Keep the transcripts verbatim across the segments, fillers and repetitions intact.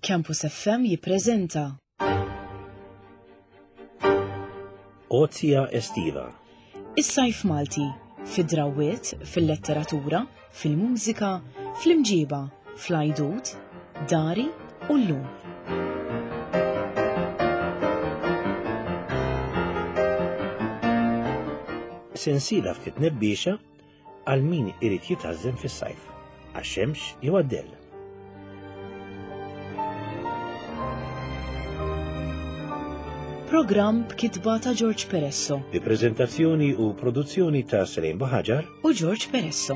Campus F M jippreżenta Ozia Estiva. Is-sajf Malti fid-drawwiet, fil-letteratura, fil-mużika, fl-imġiba, fl-għajdut, dari u llum. Sensiela ftit nebbiexa għal min irid jitgħażżen fis-sajf, għax-xemx jew għad-dell. Programm b'kitba ta' George Peresso Bi preżentazzjoni u produzzjoni ta' Selene Buhagiar u George Peresso.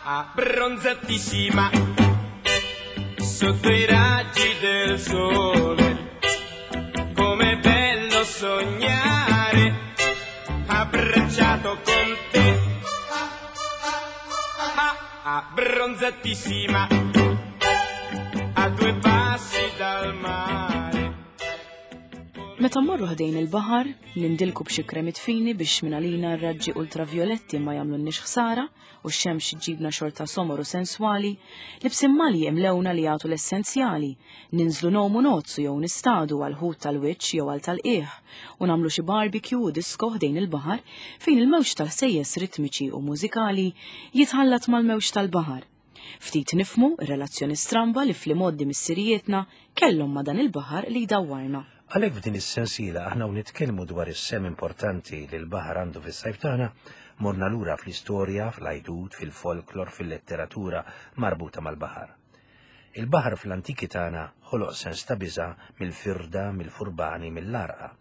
Abbronzatissima sotto i raggi del sole. Com'è bello sognare abbracciato con te. Ah, abbronzatissima a due passi dal mare. Meta mmorru ħdejn il-baħar, nindilku b'xi kremit fini biex minn għalina r-raġġi ultravioletti ma jagħmlulniex ħsara u x-xemx ġibna xorta somor u senswali, libsin malji imlewna li jagħtu l-essenzjali, ninżlu ngħumu nozzu jew nistadu għal ħut tal-wiċċ jew għal tal-qiegħ u nagħmlu xi barbecue u disco ħdejn il-baħar fejn il-mewġ tal-ħsejjes ritmiċi u mużikali jitħallat mal-mewġ tal-baħar. Ftit nifhmu r-relazzjoni stramba li fl-imgħoddi missirijietna kellhom ma' dan il-baħar li jdawwarna. Għalhekk f'din is-sensiela aħna u nitkellmu dwar is-sehem importanti li l-baħar għandu fis-sajf tagħna, morna lura fl-istorja, fl-għajdut, fil-folklor, fil-letteratura marbuta mal-baħar. Il-baħar fl-antiki tagħna ħoloq sens ta' biża' mill-firda, mill-furbani, mill-għarqa.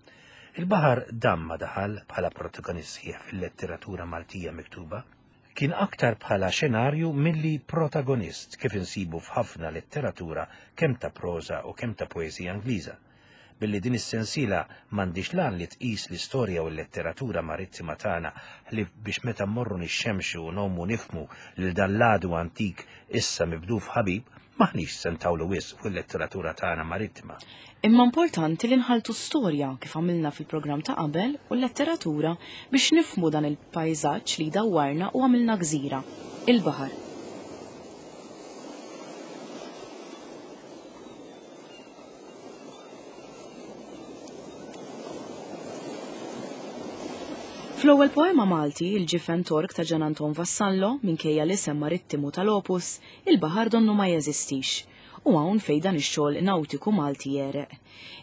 Il-baħar dam ma daħal bħala protagonist sħiħ fil-letteratura Maltija miktuba. Kien aktar bħala xenarju milli protagonist kif insibu f'ħafna letteratura kemm ta' proża u kemm ta' poeżija Ingliża. Billi din is-sensiela m'għandix lan li tqis l-istorja u l-letteratura marittima tagħna li biex meta mmorru nixxemxu u ngħumu nifhmu lil dan l-għadu antik issa mibdul f'ħabib, m'aħniex se ntawlu wisq fuq il-letteratura tagħna marittima. Imma importanti li nħaltu storja kif għamilna fil-programm ta' qabel u l-letteratura biex nifhmu dan il-pajżaġġ li dawwarna u għamilna gżira, il-baħar. Fl-ewwel poema Malti, il-Ġifen Tork ta' Gian Anton Vassallo, minkejja l-isem marittimu tal-opus, il-baħar donnu ma jeżistix. U hawn fejn dan ix-xogħol nautiku Malti jereq.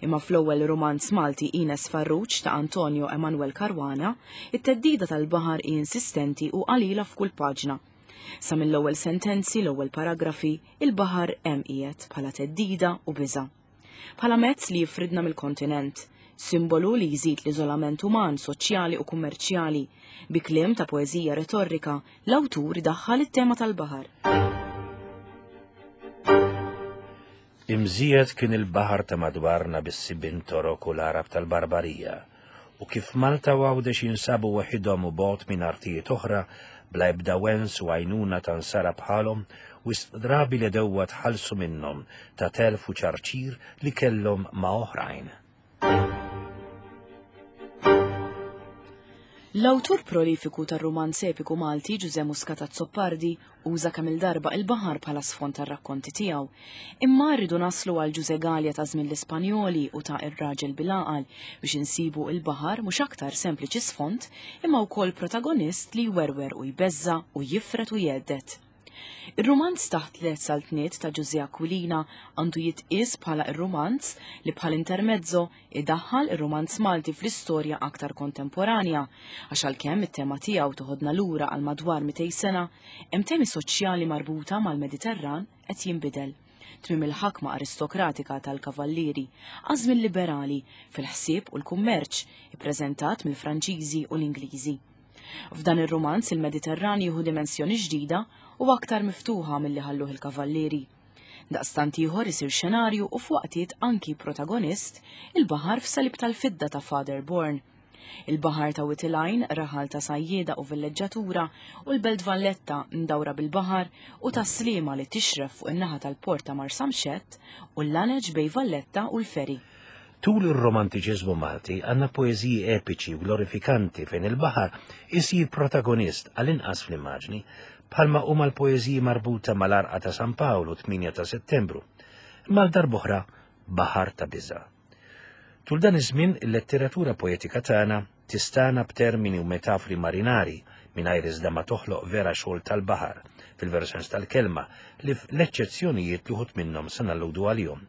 Imma fl-ewwel romanz Malti Ines Farrugia ta' Antonio Emanuel Caruana, it-theddida tal-baħar hi insistenti u qalila f'kull paġna. Sa mill-ewwel sentenzi, l-ewwel paragrafi, il-baħar hemm qiegħed bħala theddida u biża'. Bħala mezz li jifridna mill-kontinent, simbolu li jżid l-iżolament uman, soċjali u kummerċjali. Bi kliem ta' poeżija retorika, l-awtur daħħal it-tema tal-baħar. Imżijed kien il-baħar ta' madwarna bis-sibien Torok u l-Arab tal-Barbarija, u kif Malta u Għawdex jinsabu waħidhom u bogħod minn artijiet oħra, bla ebda wens u għajnuna ta' nsara bħalhom, wisq drabi li dewwa tħallsu minnhom ta' telf u ċarċir li kellhom ma' oħrajn. L-awtur prolifiku tar-rumanz epiku Malti Ġużè Muscat Azzopardi uża kemm il-darba il-baħar bħala sfond tar-rakkonti tiegħu. Imma rridu naslu għal Ġużè Galea ta' żmien l-Ispanjoli u ta' Ir-Raġel bil-Għaqal biex insibu il-baħar mhux aktar sempliċi sfond imma wkoll protagonist li jwerwer u jbeżża u jifret u jgħeddet. Ir-rumanz Taħt Tliet Saltniet ta' Ġużè Aquilina għandu jitqies bħala ir-rumanz li bħal intermezzo idaħħal ir-rumanz Malti fl-istorja aktar kontemporanja, għax għalkemm it-tema tiegħu toħodna lura għal madwar mitejn sena, hemm temi soċjali marbuta mal-Mediterran qed jinbidel. Tmiem il-ħakma aristokratika tal-kavallieri, għażmien liberali fil-ħsieb u l-kummerċ ippreżentat mill-Franċiżi u l-Ingliżi. F'dan ir-rumanz il-Mediterran jieħu dimensjoni ġdida u aktar miftuħa milli ħalluh il-kavallieri. Daqstant ieħor isir xenarju u f'waqtiet anki protagonist il-baħar f'Salib tal-Fidda ta' Father Bourne. Il-baħar ta' Wied il-Għajn, raħal ta' sajjieda u villeġġatura, u l-Belt Valletta mdawra bil-baħar u ta' Sliema li tixref fuq in-naħa tal-port ta' Marsamxett u l-laneġ bej Valletta u l-Ferry. Tul ir-romantiċiżmu Malti għandna poeżiji epiċi u glorifikanti fejn il-baħar isir protagonist għall-inqas fl-immaġni, bħalma huma l-poeżiji marbuta mal-Arqa ta' San Pawlu tmienja ta' Settembru, imma għal darb'oħra baħar ta' biża'. Tul dan iż-żmien il-letteratura poetika tagħna tistana b'termini u metafri marinari mingħajr iżda ma toħloq vera xogħol tal-baħar fil-veru sens tal-kelma li l-eċċezzjonijiet li wħud minnhom se nalludu għalihom.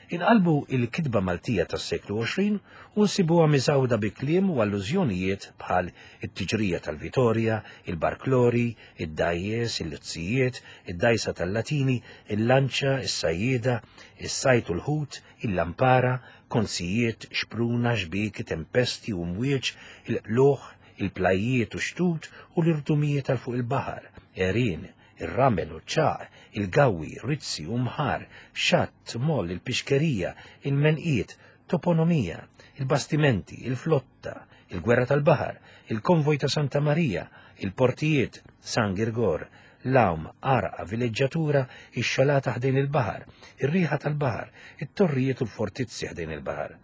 Inqalbu il-kitba Maltija tas-seklu għoxrin u nsibuha miżgħuda bi kliem u allużjonijiet bħal it-tiġrija tal-Vitorja, il-barklori, id-dajjes, il-luzzijiet, id-dajsa tal-Latini, il-lanċa, is-sajjieda, is-sajt u l-ħut, il-lampara, konsijiet, xpruna, xbieki, tempesti u mwieġ, il-qluħ, il-plajiet u xtut u l-irdumijiet tal fuq il-baħar, għerien, ir-ramel u ċaq, il-gawi, rizzi u mħar, xatt, moll, il-pixkerija, il-menqiet, toponomija, il-bastimenti, il-flotta, il-gwerra tal-baħar, il-konvoj ta' Santa Marija, il-portijiet, San Girgor, l-għawm, arqa, villeġġatura, ix-xalata ħdejn il-baħar, ir-riħa tal-baħar, it-torrijiet u l-fortizzi ħdejn il-baħar.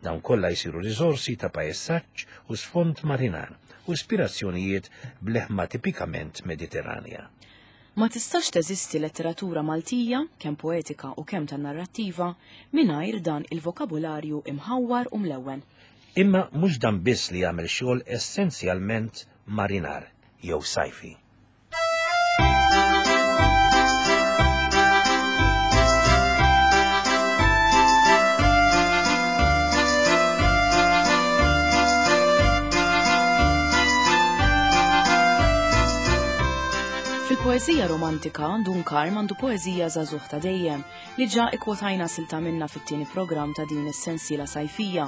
Dawn kollha jsiru riżorsi ta' pajsaġġ u sfond marinar u ispirazzjonijiet b'leħma tipikament Mediterranja. Ma tistax teżisti letteratura Maltija, kemm poetika u kemm tan-narrattiva, mingħajr dan il-vokabularju imħawwar u mlewwen. Imma mhux dan biss li jagħmel xogħol essenzjalment marinar jew sajfi. Fil-poeżija romantika, Dun Karm għandu poeżija żagħżugħ ta' dejjem li ġa ikkwotajna silta minna fit-tieni programm ta' din is-sensiela sajfija,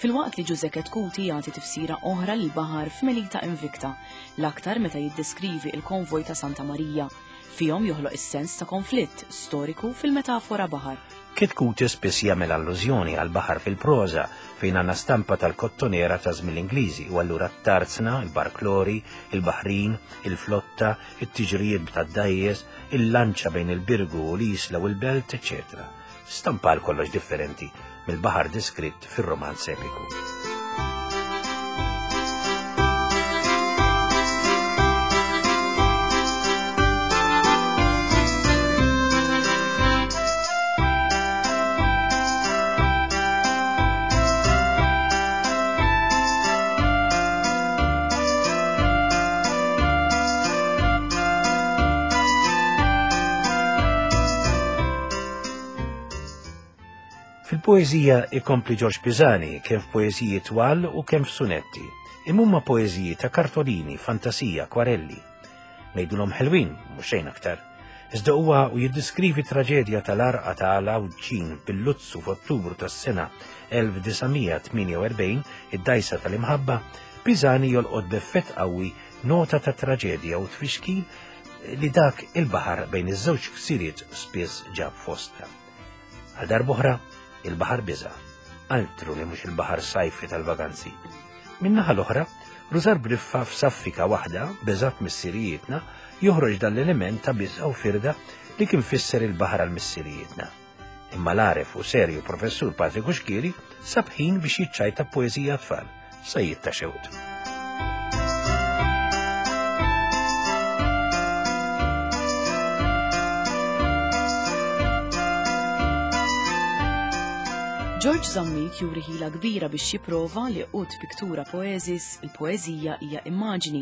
filwaqt li Ġużè Chetcuti jagħti tifsira oħra lil baħar f'Melita Invicta, l-aktar meta jiddeskrivi il-konvoj ta' Santa Marija. Fihom joħloq is-sens ta' konflitt storiku fil-metafora baħar. Chetcuti spiss jagħmel allużjoni għal baħar fil-proża fejn għandna stampa tal-kottonera ta' żmien l-Ingliżi u allura t-tarzna, il-barklori, il-baħrin, il-flotta, it-tiġrijiet tad-dajjes, il-lanċa bejn il-Birgu u l-Isla u l-Belt, eċċetera. Stampa għal kollox differenti mill-baħar diskritt fir-romanz epiku. Fil-poeżija ikompli Ġorġ Pisani kemm f'poeżiji twal u kemm f'sunetti. Imma huma poeżiji ta' kartolini, fantasija, akwarelli. Ngħidulhom ħelwin, mhux xejn aktar. Iżda huwa u jiddiskrivi traġedja tal-arqa ta' Għawdxin bil-Luzzu f'Ottubru tas-sena elf disa' mija tmienja u erbgħin, id-dajsa tal-imħabba, Pisani jolqot b'effett qawwi nota ta' traġedja u tfixkil li dak il-baħar bejn iż-żewġ ksiriet spiss ġab fosta. Għal darb'oħra, il-baħar biża', altru li mhux il-baħar sajfi tal-vaganzi. Min-naħa l-oħra, Rużar Briffa f'saffika waħda, beżat missirijietna, joħroġ dan l-element ta' biża' u firda li kien fisser il-baħar għal missirijietna. Imma l-għaref u serju professur Patrick Cuschieri sab ħin biex jiċċajta poeżija tfal, sajjied ta' xewt. George Zammit juri ħila kbira biex jipprova li ut pictura poesis, il-poeżija hija immaġni,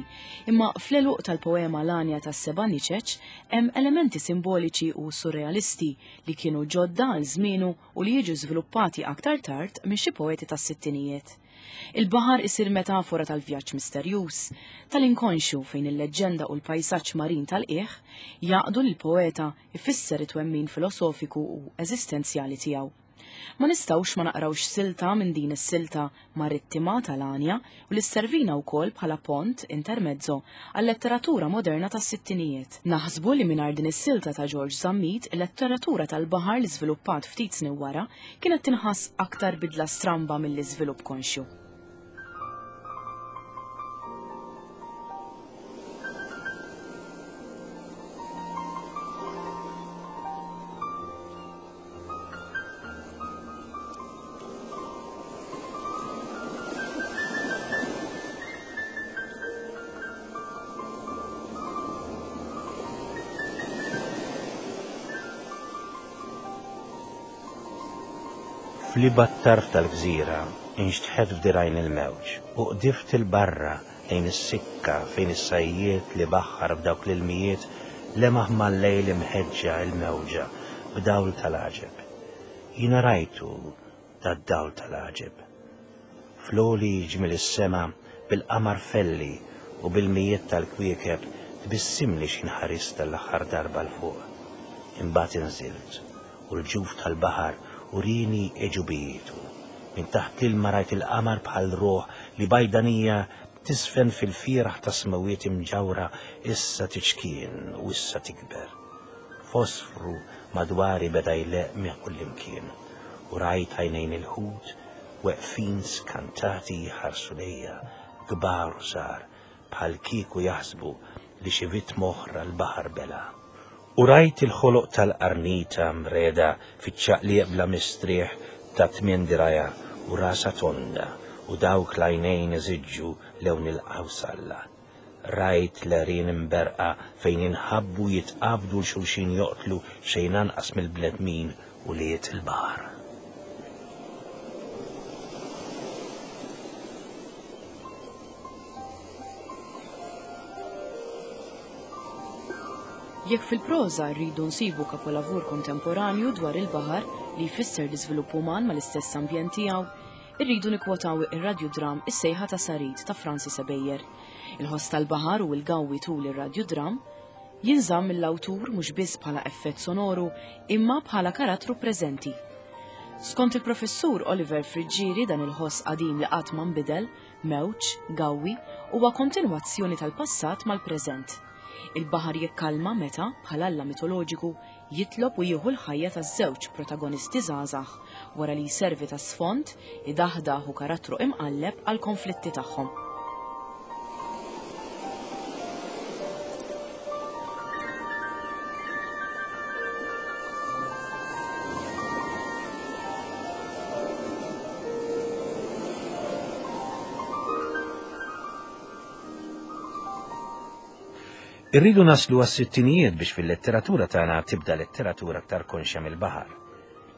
imma fl-eluq tal-poema L-Għanja tas-Seba' Niċeċ hemm elementi simboliċi u surrealisti li kienu ġodda għal żmienu u li jiġu żviluppati aktar tard minn xi poeti tas-sittinijiet. Il-baħar isir metafora tal-vjaġġ misterjuż, tal-inkonxju fejn il-leġġenda u l-pajsaġġ marin tal-qiegħ jaqdu lill-poeta ifisser it-twemmin filosofiku u eżistenzjali tiegħu. Ma nistgħux ma naqrawx silta minn din is-silta marittima tal-Għanja u li sservina wkoll bħala pont intermezzo għal-letteratura moderna tas-sittinijiet. Naħsbu li mingħajr din is-silta ta' George Zammit, il-letteratura tal-baħar li żviluppat ftit snin wara kienet tinħass aktar bidla stramba mill-iżvilupp konxju. Fl-ibgħad tarf tal-gżira inxtħet f'dirgħajn il-mewġ u qdift il-barra lejn is-sikka fejn is-sajjied li baħħar f'dawk l-ilmijiet lemaħ mal-lejl imħeġġa il-mewġa b'dawl tal-għaġeb. Jiena rajtu dad-dawl tal-għaġeb. Fl-għoli ġmiel is-sema bil-qamar felli u bil-mijiet tal-kwiekeb tbissimli x'inħarist tal-aħħar darba 'l fuq. Imbagħad inżilt u l-ġuf tal-baħar urini għeġubijietu. Minn taħt l-ilma rajt il-qamar bħal ruħ li bajdanija tisfen fil-firaħ ta' smawiet imġawra issa tiċkien u issa tikber. Fosfru madwari beda jleq minn kullimkien u rajt għajnejn il-ħut weqfin skantati jħarsu lejja kbar u żgħar bħal kieku jaħsbu li xi vittma oħra l-baħar bela. U rajt il-ħoloq tal-qarnita mreda fiċ-ċaqliq bla mistrieħ ta' tmien diraja u rasa tonda u dawk l-għajnejn iżiġġu lewn il-qawsalla. Rajt l-għerien imberqa fejn inħabbu jitqabdu l-xulxin joqtlu xejn anqas mill-bnedmin u liet il-baħar. Jekk fil-proża rridu nsibu kapolavur kontemporanju dwar il-baħar li jfisser l-iżvilupp uman mal-istess ambjent tiegħu, irridu nikkwotaw ir-radjudram Is-Sejħa ta' Sarid ta' Francis Ebejer. Il-ħoss tal-baħar u l-gawwi tul ir-radjudram jinżamm mill-awtur mhux biss bħala effett sonoru imma bħala karattru preżenti. Skont il-professur Oliver Friggieri dan il-ħoss qadim li qatt ma nbidel, mewġ, gawwi, huwa kontinwazzjoni tal-passat mal-preżent. Il-baħar jikkalma meta, bħal alla mitoloġiku, jitlob u jieħu l-ħajja taż-żewġ protagonisti żgħażagħ wara li jservi ta' sfond, idaħdaħ u karattru imqalleb għal konflitti tagħhom. Irridu naslu għas-sittinijiet biex fil-letteratura tagħna tibda letteratura aktar konxja mill-baħar.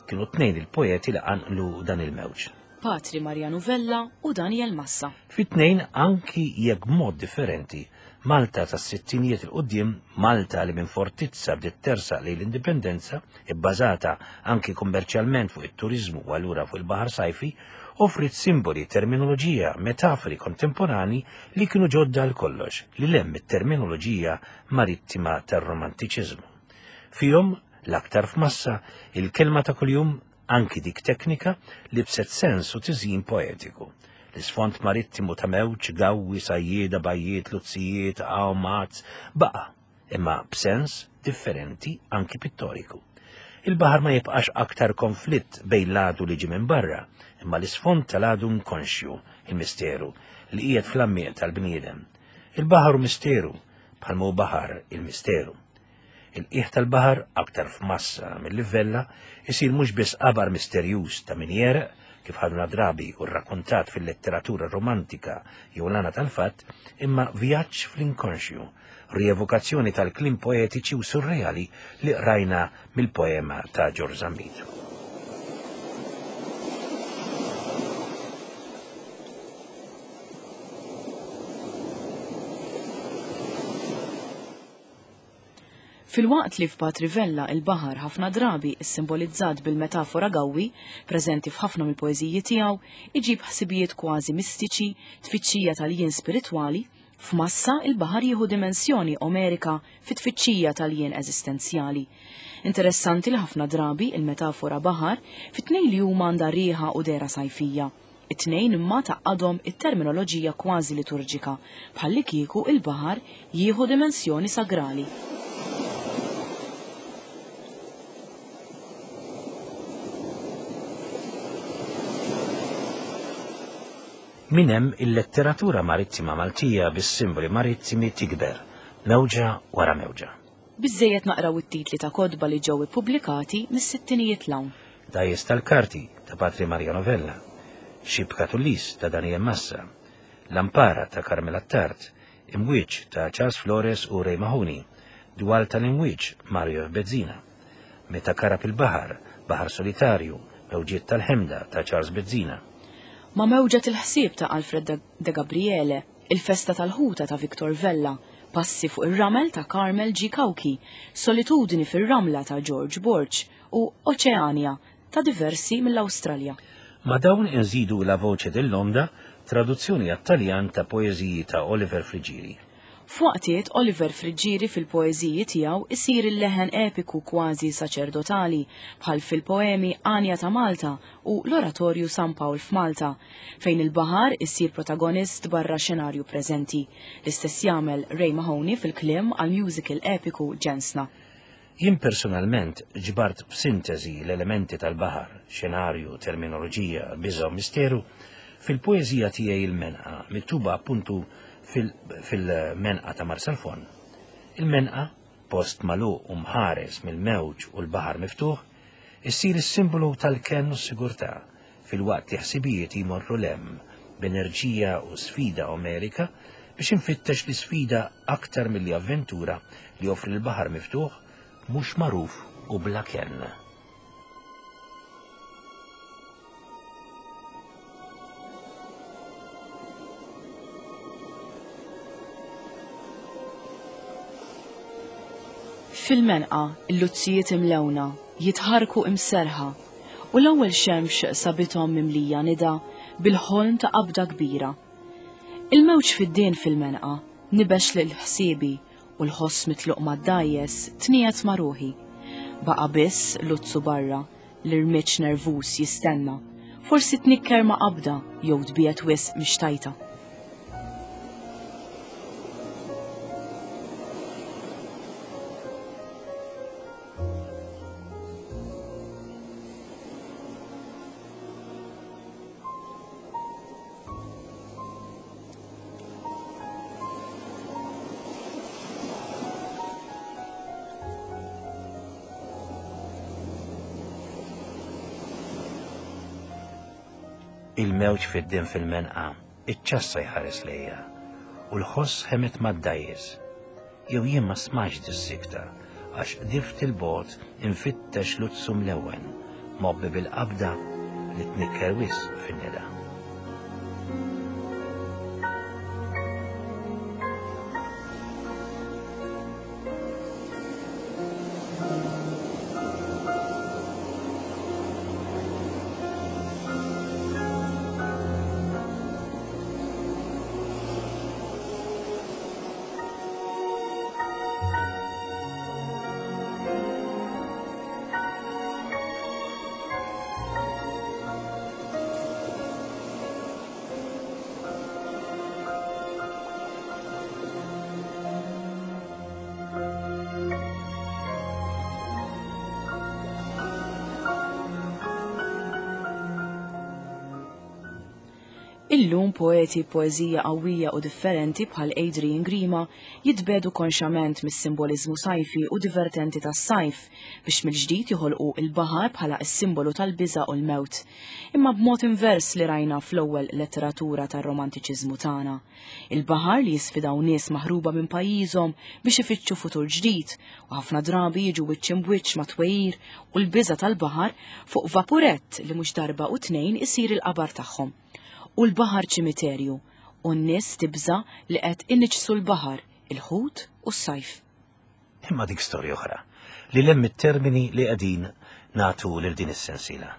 Kienu tnejn il-poeti li qanqlu dan il-mewġ. Patri Mariano Vella u Daniel Massa. Fit-tnejn anki jekk b'mod differenti, Malta tas-sittinijiet il quddiem, Malta li minn fortizza bdiet tersaq lejn l-indipendenza, ibbażata anki kummerċjalment fuq it-turiżmu u allura fuq il-baħar sajfi, offrit simboli, terminoloġija, metafori kontemporani li kienu ġodda għal kollox, li lemm it-terminoloġija marittima tar-romantiċiżmu. Fihom, l-aktar f'massa, il-kelma ta' kuljum, anki dik teknika, libset sens u tiżjin poetiku. L-isfond marittimu ta' mewġ, gawwi, sajjieda, bajjiet, luzzijiet, għawmat, baqa, imma b'sens differenti anki pittoriku. Il-baħar ma jibqax aktar konflitt bejn l-għadu li ġi minn barra, imma l-isfond tal-għadu nkonxju, il-misteru, li qiegħed fl-ammieq tal-bniedem. Il-baħar hu misteru, bħalma hu baħar il-misteru. Il-qiegħ tal-baħar, aktar f'massa mill-livella, isir mhux biss qabar misterjuż ta' min jereq, kif ħadna drabi u rrakkontat fil-letteratura romantika jew l-għana tal-fatt, imma vjaġġ fl-inkonxju, rievokazzjoni tal-kliem poetiċi u surreali li qrajna mill-poema ta' George Zammit. Filwaqt li f'Patri Vella il-baħar ħafna drabi issimbolizzat bil-metafora gawwi, preżenti f'ħafna mill-poeżiji tiegħu, iġib ħsibijiet kważi mistiċi, tfittxija tal-jien spiritwali, f'massa il-baħar jieħu dimensjoni omerika fit-tfittxija tal-jien eżistenzjali. Interessanti li ħafna drabi il-metafora baħar fit-tnejn li huma għandha riħa u dera sajfija. It-tnejn imma taqadhom it-terminoloġija kważi liturġika, bħalli kieku il-baħar jieħu dimensjoni sagrali. Minn hemm il-letteratura marittima Maltija bis-simboli marittimi tikber, mewġa wara mewġa. Biżżejjed naqraw it-titli ta' kotba li ġew ippubblikati mis-sittinijiet 'l hawn. Dgħajjes tal-Karti ta' Patri Mariano Vella, Xibka Tullis ta' Daniel Massa, Lampara ta' Carmel Attard, Imwieġ ta' Charles Flores u Ray Mahoney, Dwal tal-Imwieġ Mario F. Bezzina, Meta Karab il-Baħar, Baħar Solitarju, Mewġiet tal-Ħemda ta' Charles Bezzina. Ma' Mewġa il-ħsieb ta' Alfred De Gabriele, Il-Festa tal-Ħuta ta' Victor Vella, Passi fuq ir-Ramel ta' Carmel G. Cauchi, Solitudni fir-Ramla ta' George Borg u Oċeania ta' diversi mill-Awstralja. Ma' dawn inżidu La Voce dell'Onda, traduzzjoni għat-Taljan ta' poeżiji ta' Oliver Friggieri. F'waqtiet Oliver Friggieri fil-poeżiji tiegħu isir il-leħen epiku kważi saċerdotali bħal fil-poemi Anja ta' Malta u l-Oratorju San Pawl f'Malta, fejn il-baħar isir protagonist barra xenarju preżenti. L-istess jagħmel Ray Mahoney fil-kliem għal musical epiku Ġensna. Jien personalment ġbart f'sintesi l-elementi tal-baħar, xenarju, terminoloġija, biża' u misteru fil-poeżija tiegħi Il-Menqa, miktuba appuntu fil-Menqa ta' Marsalforn. Il-Menqa, post magħluq u mħares mill-mewġ u l-baħar miftuħ, issir is-simbolu tal-kenn u s-sigurtà, filwaqt li ħsibijiet jmorru lem b'enerġija u sfida omerika biex infittex l-isfida aktar milli avventura li joffri l-baħar miftuħ mhux magħruf u bla kenn. Fil-Menqa, il-luzzijiet imlewna, jitħarku imserħa, u l-ewwel xemx sabithom mimlija nida bil-ħolm ta' qabda kbira. Il-mewġ fid-dien fil-Menqa nibex lil ħsiebi u l-ħoss mitluq mad-dajjes tniet ma' ruħi. Baqa' biss luzzu barra, l-irmiċ nervus jistenna, forsi tnikker ma' qabda jew tbiet wisq mixtajta. Il-mewġ fid-din fil-Menqa, iċ-ċassa jħares lejja, u l-ħoss ħemet mad-dajjes. Jew jien ma smajtx dis-sikta, għax qdift il-bot infittex luzzu mlewwen, mobbi bil-qabda li tnikker wisq fin-nida. Illum poeti poeżija qawwija u differenti bħal Adrian Grima jitbedu konxament mis-simbolizmu sajfi u divertenti tas-sajf biex mill-ġdid joħolqu il-baħar bħala s-simbolu tal-biża' u l-mewt, imma b'mod invers li rajna fl-ewwel letteratura tar-romantiċiżmu tagħna. Il-baħar li jisfidaw nies maħruba minn pajjiżhom biex ifittxu futur ġdid u ħafna drabi jiġu wiċċ imbwiċċ ma' twejjir u l-biża' tal-baħar fuq vapurett li mhux darba u tnejn isir il-qabar tagħhom. U l-baħar ċimiterju, u n-nies tibża li qed iniġsu l-baħar, il-ħut u s-sajf. Imma dik storja oħra, li lemm it-termini li qegħdin nagħtu lil din is-sensiela.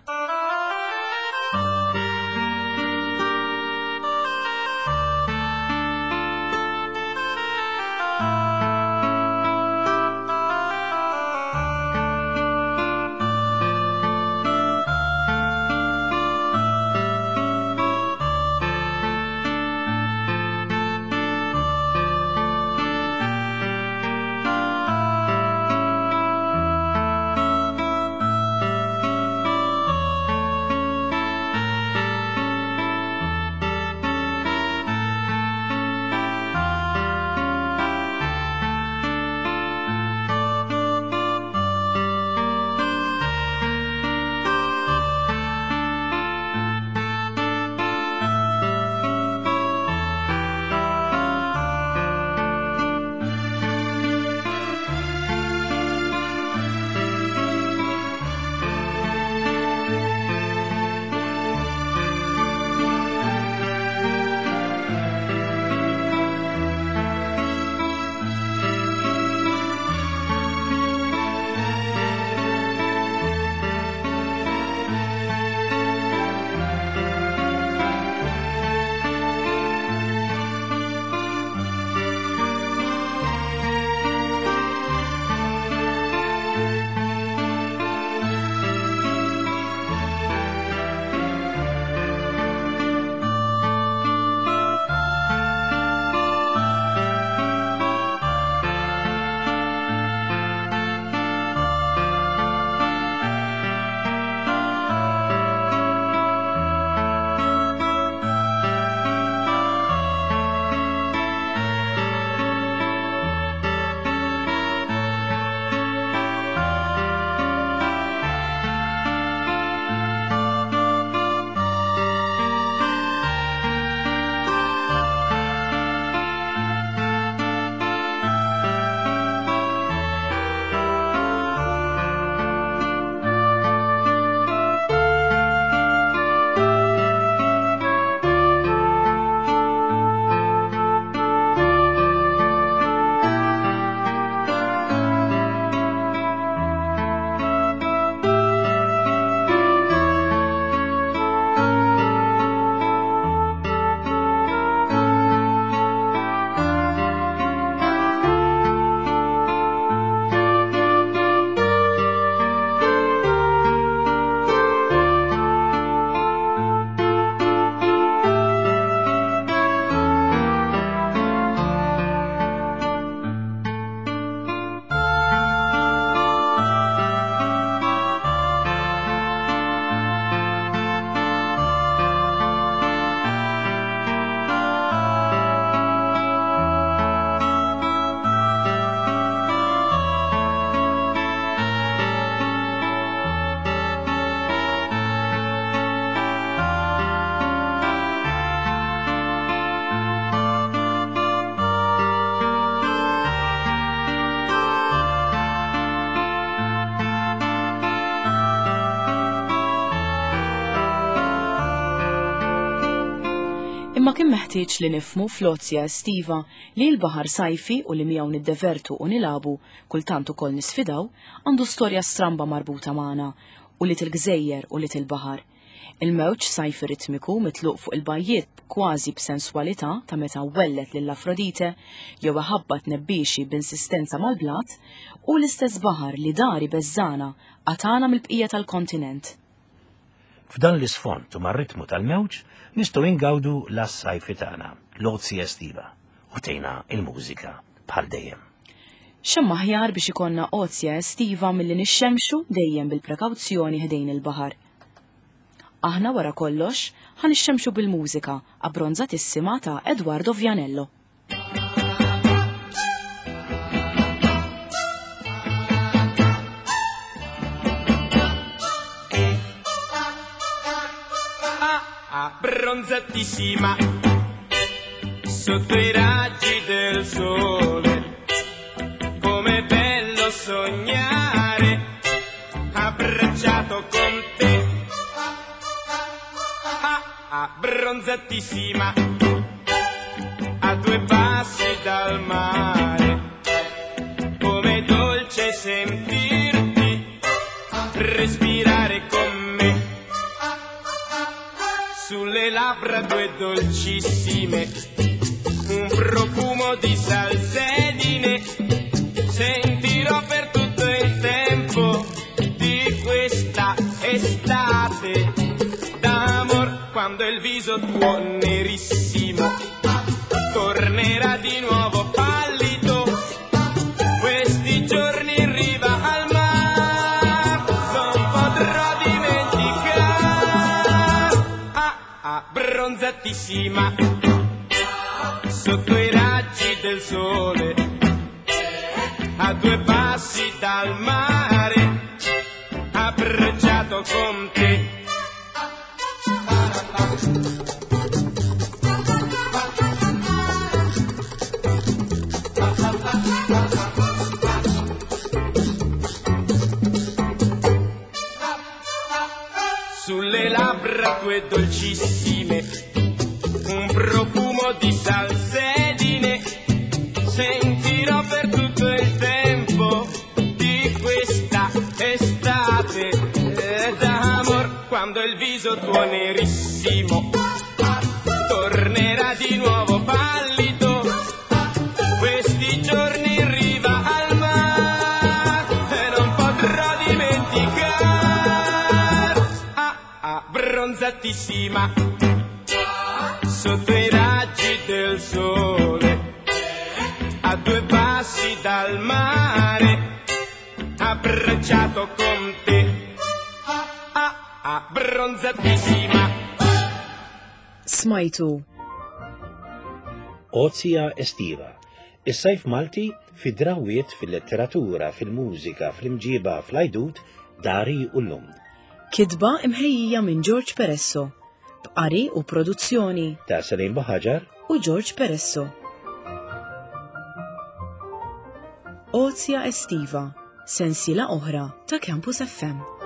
Imma kien meħtieġ li nifhmu fl-ozja estiva li l-baħar sajfi u li miegħu niddevertu u nilagħbu kultant ukoll nisfidaw għandu storja stramba marbuta magħna u li til-gżejjer u li til-baħar. Il-mewġ sajfi ritmiku mitluq fuq il-bajjiet kważi b'senswalità ta' meta wellet lil Afrodite jew iħabbat nebbixi b'insistenza mal-blat u l-istess baħar li dari beżżana qatana mill-bqija tal-kontinent. F'dan l-isfond u mar-ritmu tal-mewġ nistgħu ingawdu l-sajfi tagħna, l-ozja estiva, u tejna il-mużika bħal dejjem. X'hemm aħjar biex ikollna ozja estiva milli nixxemxu dejjem bil-prekawzjoni ħdejn il-baħar. Aħna wara kollox ħa nixxemxu bil-mużika abbronzatissima ta' Edoardo Vianello. Abbronzatissima sotto i raggi del sole, com'è bello sognare abbracciato con te. Ah, abbronzatissima a due passi dal mare, com'è dolce sentirti respirare con me. Sulle labbra due dolcissime, un profumo di salsedine, sentirò per tutto il tempo di questa estate d'amor, quando il viso tuo nerissimo tornerà di nuovo pallido. Questi giorni in riva al mar non potrò dimenticare. Ah, abbronzatissima sotto i raggi del sole, a due passi dal mare, abbracciato con te. Sulle labbra tue dolcissime, un profumo di salsedine, sentirò per tutto il tempo di questa estate d'amor, quando il viso tuo nerissimo tornerà di nuovo pallido. Questi giorni in riva al mare e non potrò dimenticare. Ah, abbronzatissima sotto i raggi del sole, a due passi dal mare, abbracciato con te. Ah, abbronzatissima. Smajtu. Ozja estiva. Is-sajf Malti fi drawiet fil-letteratura, fil-mużika, fl-imġiba, fl-ajdut, dari u l-lum. Kitba imħejjija minn George Peresso. B'qari u produzzjoni Ta' Salim Buhaġar u George Peresso. Ozja estiva, sensiela oħra ta' Campus F M.